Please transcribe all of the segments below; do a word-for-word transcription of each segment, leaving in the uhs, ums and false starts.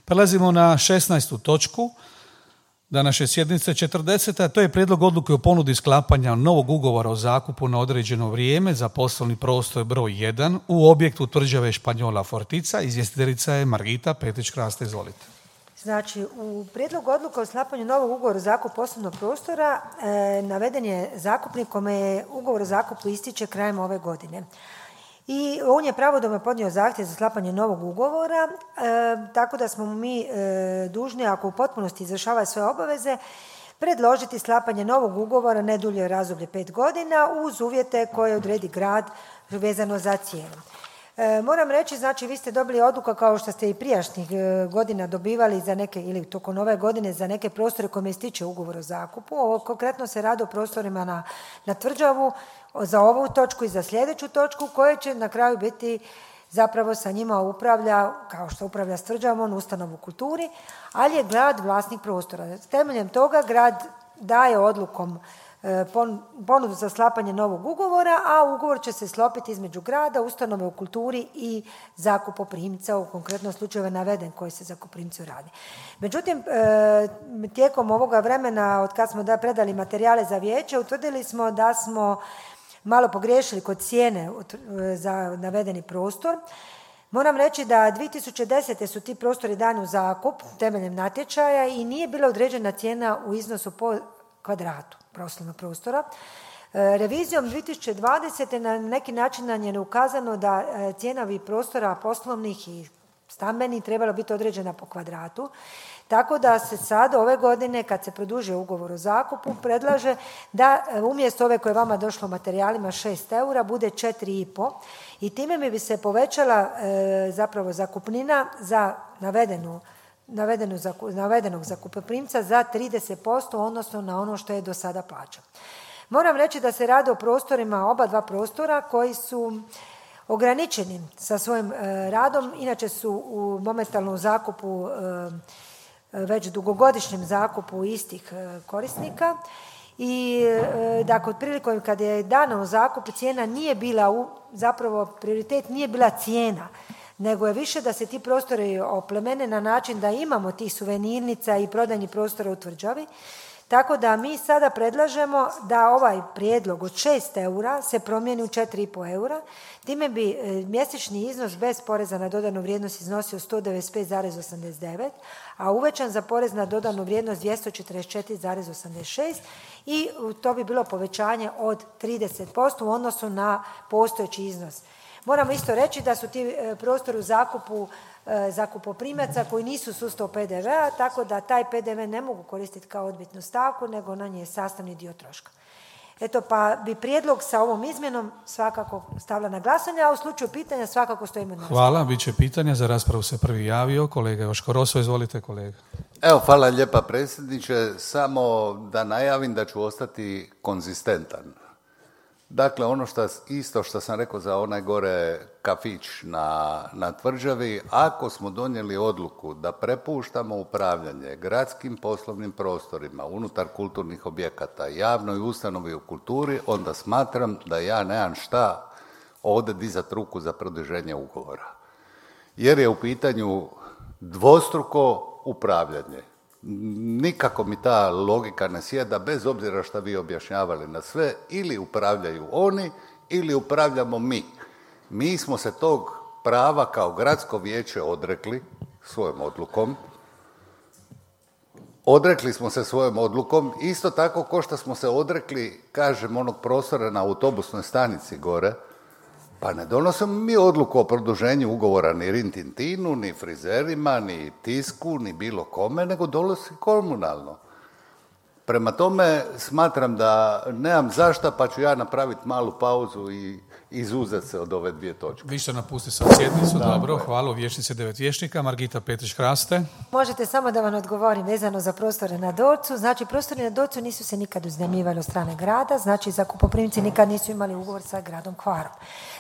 Prelazimo na šesnaestu točku današnje sjednice četrdesete. To je prijedlog odluke o ponudi sklapanja novog ugovora o zakupu na određeno vrijeme za poslovni prostor broj jedan u objektu tvrđave Španjola Fortica. Izvjestiteljica je Margita Petrić-Kraste, izvolite. Znači, u prijedlogu odluke o sklapanju novog ugovora o zakupu poslovnog prostora e, naveden je zakupnik kome je ugovor o zakupu ističe krajem ove godine. I on je pravodobno podnio zahtjev za sklapanje novog ugovora, e, tako da smo mi e, dužni, ako u potpunosti izvršava svoje obaveze, predložiti sklapanje novog ugovora ne dulje razdoblje pet godina uz uvjete koje odredi grad vezano za cijenu. E, moram reći, znači vi ste dobili odluku kao što ste i prijašnjih e, godina dobivali za neke, ili tokom ove godine za neke prostore kojima ističe ugovor o zakupu. Ovo konkretno se radi o prostorima na, na Tvrđavu za ovu točku i za sljedeću točku koje će na kraju biti zapravo sa njima upravlja, kao što upravlja s Tvrđavom, ustanovu kulturi, ali je grad vlasnik prostora. Temeljem toga grad daje odlukom ponudu za sklapanje novog ugovora, a ugovor će se sklopiti između grada, ustanove u kulturi i zakupoprimca, u konkretnom slučaju je naveden koji se zakupoprimcu radi. Međutim, tijekom ovoga vremena, od kad smo da predali materijale za vijeće, utvrdili smo da smo malo pogriješili kod cijene za navedeni prostor. Moram reći da dvije tisuće desete su ti prostori dani u zakup temeljem natječaja i nije bila određena cijena u iznosu po kvadratu poslovnog prostora. Revizijom dvije tisuće dvadesete na neki način nam je ukazano da cijena ovih prostora poslovnih i stambenih trebala biti određena po kvadratu. Tako da se sad ove godine kad se produžuje ugovor o zakupu predlaže da umjesto ove koje je vama došlo u materijalima šest eura bude četiri i po i time bi se povećala e, zapravo zakupnina za navedenu Navedenu, navedenog zakupoprimca za trideset posto odnosno na ono što je do sada plaćao. Moram reći da se radi o prostorima, oba dva prostora koji su ograničeni sa svojim e, radom, inače su u momentalnom zakupu, e, već dugogodišnjem zakupu istih e, korisnika i e, dakle otprilike kad je dano u zakup cijena nije bila, u, zapravo prioritet nije bila cijena, nego je više da se ti prostori oplemene na način da imamo tih suvenirnica i prodajnih prostora u Tvrđavi. Tako da mi sada predlažemo da ovaj prijedlog od šest eura se promijeni u četiri i po eura. Time bi mjesečni iznos bez poreza na dodanu vrijednost iznosio sto devedeset pet zarez osamdeset devet, a uvećan za porez na dodanu vrijednost dvjesto četrdeset četiri zarez osamdeset šest i to bi bilo povećanje od trideset posto u odnosu na postojeći iznos. Moramo isto reći da su ti prostori u zakupu zakupoprimaca koji nisu u sustavu P D V-a, tako da taj P D V ne mogu koristiti kao odbitnu stavku, nego na nje je sastavni dio troška. Eto, pa bi prijedlog sa ovom izmjenom svakako stavila na glasanje, a u slučaju pitanja svakako stojimo na. Hvala, bit će pitanja. Za raspravu se prvi javio kolega Joško Roso. Izvolite, kolega. Evo, hvala lijepa predsjedniče. Samo da najavim da ću ostati konzistentan. Dakle, ono što, isto što sam rekao za onaj gore kafić na, na Tvrđavi, ako smo donijeli odluku da prepuštamo upravljanje gradskim poslovnim prostorima unutar kulturnih objekata, javnoj ustanovi u kulturi, onda smatram da ja nemam šta ovdje dizati ruku za produženje ugovora. Jer je u pitanju dvostruko upravljanje. Nikako mi ta logika ne sjeda, bez obzira što vi objašnjavali na sve, ili upravljaju oni ili upravljamo mi. Mi smo se tog prava kao gradsko vijeće odrekli svojom odlukom. Odrekli smo se svojom odlukom, isto tako ko što smo se odrekli, kažem, onog prostora na autobusnoj stanici gore, pa ne donosimo mi odluku o produženju ugovora ni Rintintinu, ni frizerima, ni Tisku, ni bilo kome, nego donosi komunalno. Prema tome, smatram da nemam zašta, pa ću ja napraviti malu pauzu i izuzeti se od ove dvije točke. Vi ćete napustiti sad sjednicu, da, dobro, hvala. U vijećnici devet vijećnika, Margita Petrić-Kraste. Možete samo da vam odgovorim vezano za prostore na Dolcu. Znači, prostori na Dolcu nisu se nikad uznajmljivali od strane grada, znači zakupoprimci nikad nisu imali ugovor sa gradom Hvarom.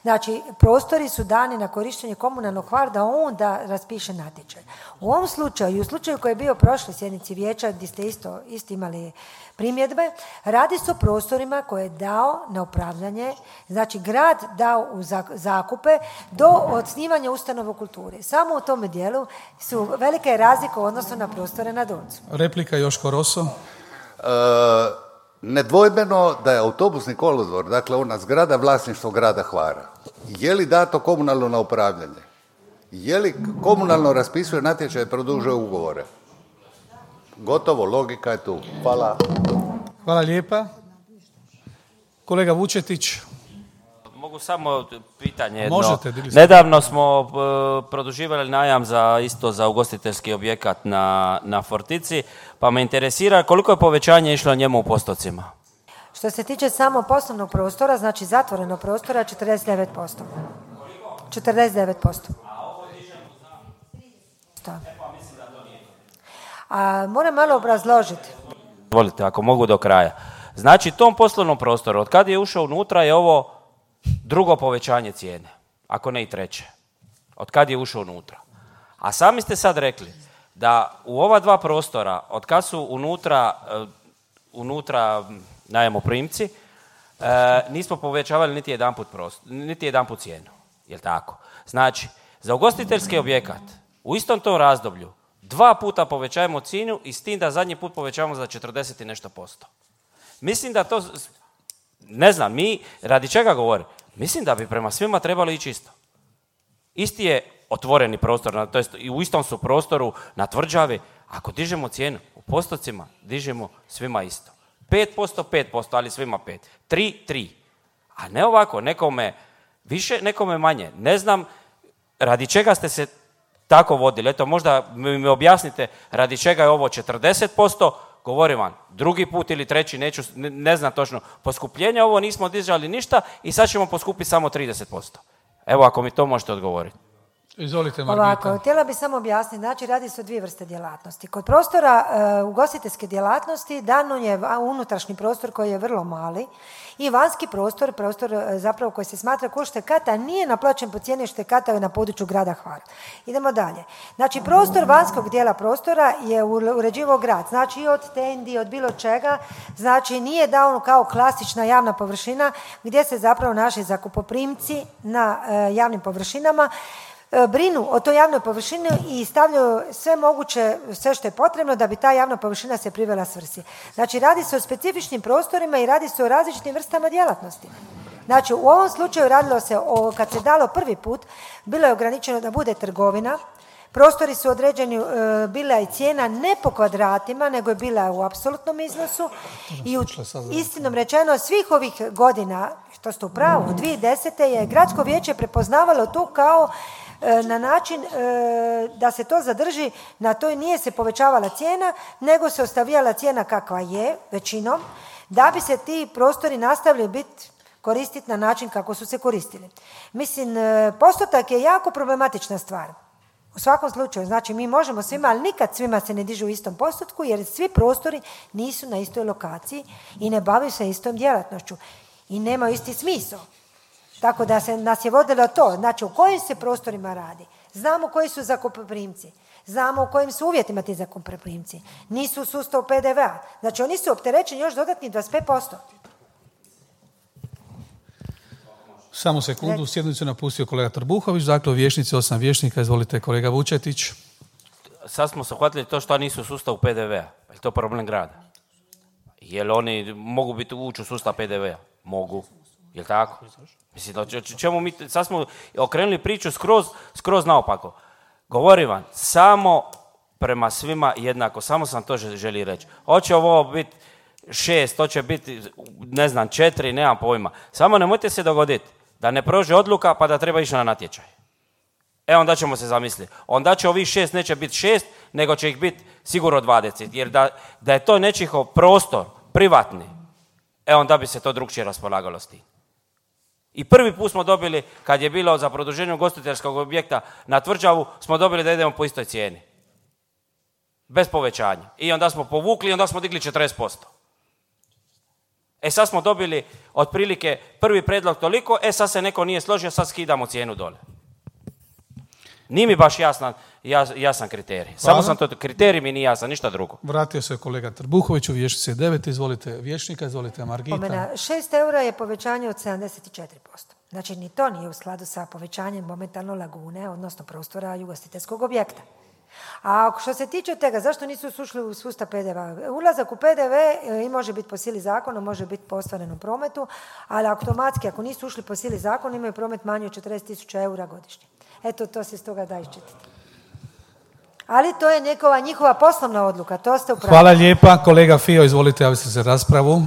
Znači, prostori su dani na korištenje komunalnog Hvar da on da raspiše natječaj. U ovom slučaju i u slučaju koji je bio prošle sjednici vijeća gdje ste isto, isto imali imali primjedbe. Radi se o prostorima koje je dao na upravljanje, znači grad dao u zakupe do osnivanja ustanova u kulturi. Samo u tome dijelu su velike razlike u odnosu na prostore na Doncu. Replika Joško Roso. E, nedvojbeno da je autobusni kolodvor, dakle ona zgrada vlasništvo grada Hvara. Je li dato komunalno na upravljanje? Je li komunalno raspisuje natječaj i produžuje ugovore? Gotovo, logika je tu. Hvala. Hvala lijepa. Kolega Vučetić. Mogu samo pitanje jedno. Možete, nedavno smo uh, produživali najam za isto za ugostiteljski objekat na, na Fortici, pa me interesira koliko je povećanje išlo njemu u postocima? Što se tiče samo poslovnog prostora, znači zatvorenog prostora, četrdeset devet posto. četrdeset devet posto. A moram malo obrazložiti. Volite, ako mogu do kraja. Znači, tom poslovnom prostoru, od kad je ušao unutra, je ovo drugo povećanje cijene, ako ne i treće. Od kad je ušao unutra. A sami ste sad rekli da u ova dva prostora, od kad su unutra, uh, unutra najmoprimci, uh, nismo povećavali niti jedanput prostor, niti jedanput cijenu. Jel' tako? Znači, za ugostiteljski objekat u istom tom razdoblju dva puta povećajemo cijenu i s tim da zadnji put povećavamo za četrdeset i nešto posto. Mislim da to, ne znam, mi radi čega govori? Mislim da bi prema svima trebalo ići isto. Isti je otvoreni prostor, to jest i u istom su prostoru na tvrđavi. Ako dižemo cijenu u postocima, dižemo svima isto. pet posto, pet posto, ali svima pet. tri, tri. A ne ovako, nekome više, nekome manje. Ne znam radi čega ste se tako vodili. Eto, možda mi objasnite radi čega je ovo četrdeset posto, govorim vam, drugi put ili treći, neću, ne, ne znam točno, poskupljenje ovo nismo dizali ništa i sad ćemo poskupiti samo trideset posto. Evo, ako mi to možete odgovoriti. Izvolite, Margita. Ovako, htjela bih samo objasniti, znači radi se o dvije vrste djelatnosti. Kod prostora uh, ugostiteljske djelatnosti dano je unutrašnji prostor koji je vrlo mali i vanjski prostor, prostor uh, zapravo koji se smatra kao štekata, nije naplaćen po cijeni štekata na području grada Hvara. Idemo dalje. Znači, prostor vanjskog dijela prostora je uređivao grad, znači i od tendi, od bilo čega, znači nije dao kao klasična javna površina gdje se zapravo naši zakupoprimci na uh, javnim površinama brinu o toj javnoj površini i stavljaju sve moguće, sve što je potrebno da bi ta javna površina se privela svrsi. Znači, radi se o specifičnim prostorima i radi se o različitim vrstama djelatnosti. Znači, u ovom slučaju radilo se o, kad se dalo prvi put, bilo je ograničeno da bude trgovina, prostori su određeni, e, bila je cijena ne po kvadratima, nego je bila u apsolutnom iznosu i u, istinom rečeno svih ovih godina, što ste u pravu, dvije tisuće desete je gradsko vijeće prepoznavalo to kao na način da se to zadrži, na to nije se povećavala cijena, nego se ostavljala cijena kakva je, većinom, da bi se ti prostori nastavili biti koristiti na način kako su se koristili. Mislim, postotak je jako problematična stvar. U svakom slučaju, znači mi možemo svima, ali nikad svima se ne dižu u istom postotku, jer svi prostori nisu na istoj lokaciji i ne bavaju se istom djelatnošću i nemaju isti smisao. Tako da se nas je vodilo to, znači u kojim se prostorima radi. Znamo koji su zakupoprimci, znamo u kojim su uvjetima ti zakupoprimci. Nisu u sustavu P D V-a, znači oni su opterećeni još dodatni dvadeset pet posto. Samo sekundu, sjednicu napustio kolega Trbuhović, dakle u vijećnici osam vijećnika, izvolite kolega Vučetić. Sad smo se uhvatili to što nisu u sustavu P D V-a, je li to problem grada? Jel oni mogu biti ući u sustav P D V-a? Mogu. Jel' tako? Mislim, o čemu mi, sad smo okrenuli priču skroz, skroz naopako. Govorim vam, samo prema svima jednako, samo sam to želi reći. Hoće ovo biti šest, hoće biti, ne znam, četiri, nemam pojma. Samo nemojte se dogoditi da ne prođe odluka pa da treba ići na natječaj. E, onda ćemo se zamisliti. Onda će ovih šest neće biti šest, nego će ih biti sigurno dvadeset. Jer da, da je to nečihov prostor, privatni, e, onda bi se to drukčije raspolagalo s tim. I prvi put smo dobili, kad je bilo za produženje ugostiteljskog objekta na tvrđavu, smo dobili da idemo po istoj cijeni. Bez povećanja. I onda smo povukli i onda smo digli četrdeset posto. E sad smo dobili otprilike prvi predlog toliko, e sad se neko nije složio, sad skidamo cijenu dole. Nije mi baš jasan, jas, jasan kriterij. Hvala. Samo sam to, kriterij mi nije jasan, ništa drugo. Vratio se kolega Trbuhović u vijećnici devet, izvolite vijećnika, izvolite Margita. Pomena, šest eura je povećanje od sedamdeset četiri posto. Znači, ni to nije u skladu sa povećanjem momentalno lagune, odnosno prostora ugostiteljskog objekta. A što se tiče toga, zašto nisu ušli u sustav P D V? Ulazak u P D V i može biti po sili zakona, može biti po ostvarenom prometu, ali automatski, ako nisu ušli po sili zakona, imaju promet manji od četrdeset tisuća eura godišnje. Eto, to se iz toga da iščitati. Ali to je nekova njihova poslovna odluka, to ste upravo. Hvala lijepa. Kolega Fio, izvolite, javite se za raspravu.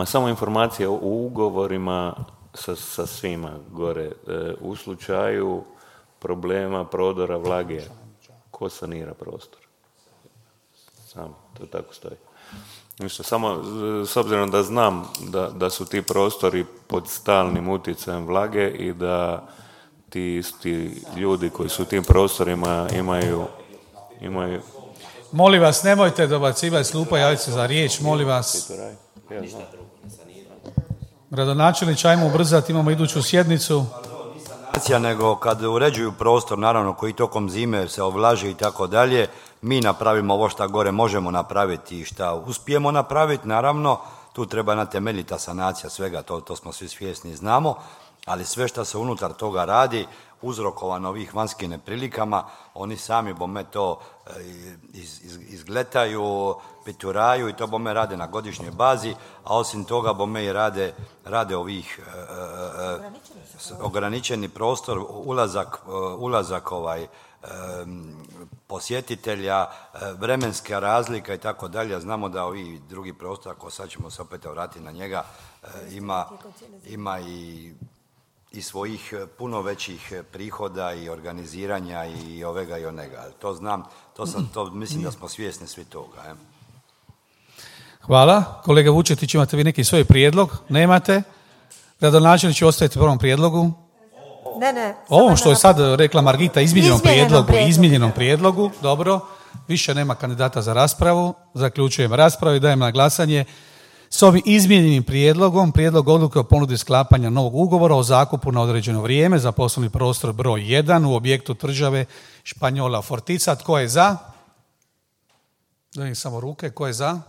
E, samo informacija o ugovorima sa, sa svima gore. E, u slučaju problema prodora vlage, ko sanira prostor? Samo, to tako stoji. Ništa, samo s obzirom da znam da, da su ti prostori pod stalnim utjecajem vlage i da ti isti ljudi koji su u tim prostorima imaju, imaju... Molim vas, nemojte dobacivati s klupa, javite se za riječ, molim vas. Gradonačelnič, ajmo ubrzati, imamo iduću sjednicu. Nego kad uređuju prostor, naravno, koji tokom zime se ovlaži i tako dalje, mi napravimo ovo šta gore možemo napraviti i šta uspijemo napraviti, naravno, tu treba jedna temeljita sanacija svega, to, to smo svi svjesni i znamo, ali sve što se unutar toga radi, uzrokovano ovih vanjskim neprilikama, oni sami bome to iz, iz, izgletaju, pituraju i to bome rade na godišnjoj bazi, a osim toga bome i rade, rade ovih e, e, ograničeni prostor, ulazak, ulazak ovaj, e, posjetitelja, vremenska razlika i tako dalje. Znamo da ovi drugi prostor, ako sad ćemo se opet vratiti na njega, e, ima, ima i i svojih puno većih prihoda i organiziranja i ovega i onega. To znam, to sam, to mislim da smo svjesni svi toga. Je. Hvala. Kolega Vučetić, imate vi neki svoj prijedlog? Nemate? Gradonačelnici, ostajete u prvom prijedlogu? Ne, ne. Ovo što je sad rekla Margita, izmijenjenom prijedlogu, prijedlogu. izmijenjenom prijedlogu, dobro. Više nema kandidata za raspravu. Zaključujem raspravu i dajem na glasanje s ovim izmijenjenim prijedlogom, prijedlog odluke o ponudi sklapanja novog ugovora o zakupu na određeno vrijeme za poslovni prostor broj jedan u objektu tvrđave Španjola Fortica. Tko je za? Dajem samo ruke. Tko je za?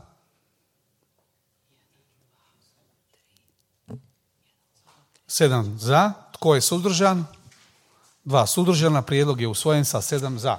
Sedam za. Tko je suzdržan? Dva suzdržana. Prijedlog je usvojen sa sedam za.